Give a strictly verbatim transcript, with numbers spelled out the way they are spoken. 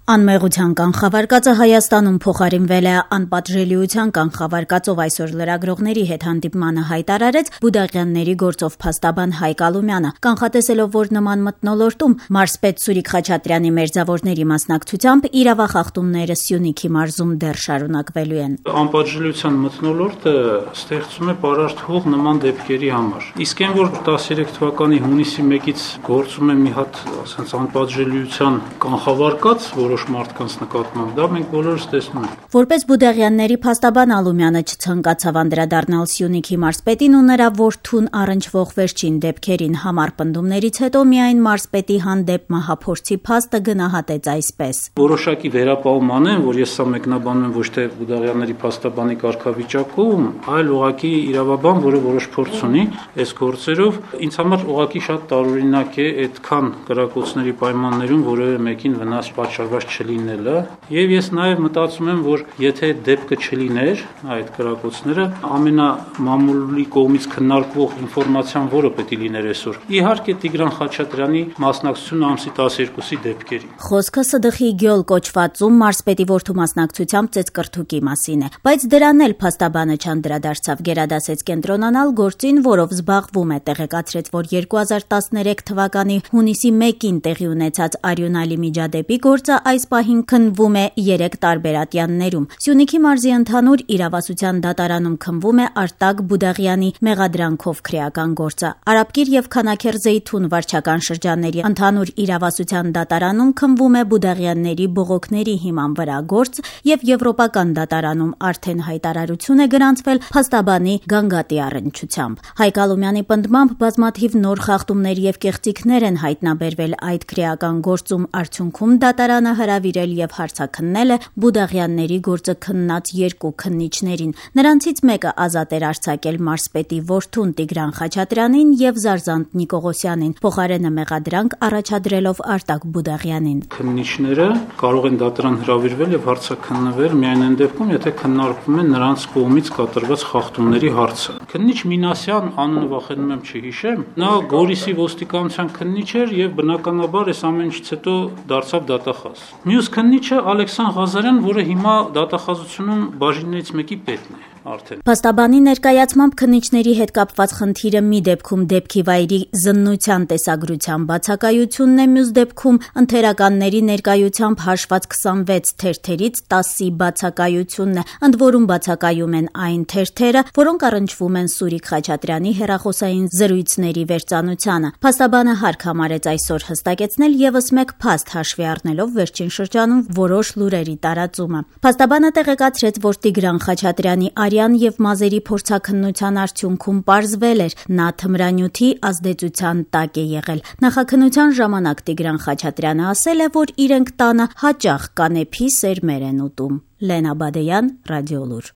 Անմեղության կանխավարկածը Հայաստանում փոխարինվել է անպատժելիության կանխավարկածով այսօր լրագրողների հետ հանդիպմանը հայտարարեց Բուդաղյանների գործով փաստաբան Հայկ Ալումյանը, կանխատեսելով, որ նման մթնոլորտում մարզպետ Սուրիկ Խաչատրյանի մերձավորների մասնակցությամբ իրավախախտումները Սյունիքի մարզում դեռ շարունակվելու են։ Անպատժելիության մթնոլորտը ստեղծում է պարարտ նման դեպքերի համար։ Իսկ այն, որ տասներեք թվականի հունիսի մեկից գործում է մի հատ, ասենց, անպատժելիության կանխավարկած, որոշ մարդկանց նկատմամբ, դա մենք բոլորս տեսնում ենք։ Որպես Բուդաղյանների փաստաբան Ալումյանը չցանկացավ անդրադառնալ Սյունիքի մարզպետին ու նրա որդուն առնչվող վերջին դեպքերին, համառ պնդումներից հետո միայն մարզպետի հանդեպ մահափորձի փաստը գնահատեց այսպես. Որոշակի վերապահում անեմ, որ ես սա մեկնաբանում եմ ոչ թե Բուդաղյանների փաստաբանի կարգավիճակում, այլ ուղղակի իրավաբան, որը որոշ փորձ ունի այս գործերով, ինձ համար ուղղակի շատ տարօրինակ է այդքան կրակոցների պայմաններում որևէ մեկին վնաս պատճառված չլինելը, եւ ես նաեւ մտածում եմ, որ եթե դեպքը չլիներ այդ կրակոցները, ամենամամուլի կողմից քննարկվող ինֆորմացիան որը պետք է լիներ այսօր։ Իհարկե Տիգրան Խաչատրյանի մասնակցությունը ամսի տասներկուսի դեպքերի։ Խոսքը ՍԴԽ-ի գյոլ կոչվածում մարզպետի որդու մասնակցությամբ ծեծկրթուկի մասին է, բայց դրան էլ փաստաբանը չանդրադարձավ, գերադասեց կենտրոնանալ գործին, որով զբաղվում է, տեղեկացրեց, որ երկու հազար տասներեք թվականի հունիսի մեկին տեղի ունեցած արյունալի միջադեպի գործը այս պահին քննվում է երեք տարբեր ատյաններում։ Սյունիքի մարզի ընդհանուր իրավասության դատարանում քննվում է Արտակ Բուդաղյանի մեղադրանքով քրեական գործը։ Արաբկիր եւ Քանաքեր Զեյթուն վարչական շրջանների ընդհանուր իրավասության դատարանում քննվում է Բուդաղյանների բողոքների հիման վրա գործ եւ եվրոպական դատարանում արդեն հայտարարություն է գրանցվել փաստաբանի Գանգատի առնչությամբ։ Հայկ Ալումյանի պնդմամբ բազմաթիվ նոր խախտումներ եւ կեղծիքներ են հայտնաբերվել այդ քրեական գործում, արդյունքում դատարանը հրավիրել եւ հարցաքննել է Բուդաղյանների գործը քննած երկու քննիչներին։ Նրանցից մեկը ազատ էր արձակել մարզպետի որդուն Տիգրան Խաչատրյանին եւ Զարզանտ Նիկողոսյանին, փոխարենը մեղադրանք առաջադրելով Արտակ Բուդաղյանին։ Քննիչները կարող են դատարան հրավիրվել եւ հարցաքննվել միայն այն դեպքում, եթե քննարկվում է նրանց կողմից կատարված խախտումների հարցը։ Քննիչ Մինասյան, անունը վախենում եմ չհիշեմ, նա Գորիսի ոստիկանության քննիչ էր եւ բնականաբար այս ամեն ինչից հետո դարձավ դատախազ։ Մյուս քննիչը Ալեքսան Ղազարյան, որը հիմա դատախազությունում բաժիններից մեկի պետն է արդեն։ Փաստաբանի ներկայացմամբ քննիչների հետ կապված խնդիրը մի դեպքում դեպքի վայրի զննության տեսագրության բացակայությունն է, մյուս դեպքում ընթերականների ներկայությամբ հաշված քսանվեց թերթերից տասի բացակայությունն է, ընդ որում բացակայում են այն թերթերը, որոնք առնչվում են Սուրիկ Խաչատրյանի հեռախոսային զրույցների վերծանությանը։ Փաստաբանը հարկ համարեց այսօր հստակեցնել եւս մեկ փաստ, հաշվի առնելով վերջին շրջանում որոշ լուրերի տարածումը։ Փաստաբանը տեղեկացրեց, որ Տիգրան Խաչատրյանի արյան եւ մազերի փորձաքննության արդյունքում պարզվել էր, նա թմրանյութի ազդեցության տակ է եղել։ Նախաքննության ժամանակ Տիգրան Խաչատրյանը ասել է, որ իրենք տանը հաճախ կանեփի սերմեր են ուտում։ Լենա Բադեյան, Ռադիոլուր։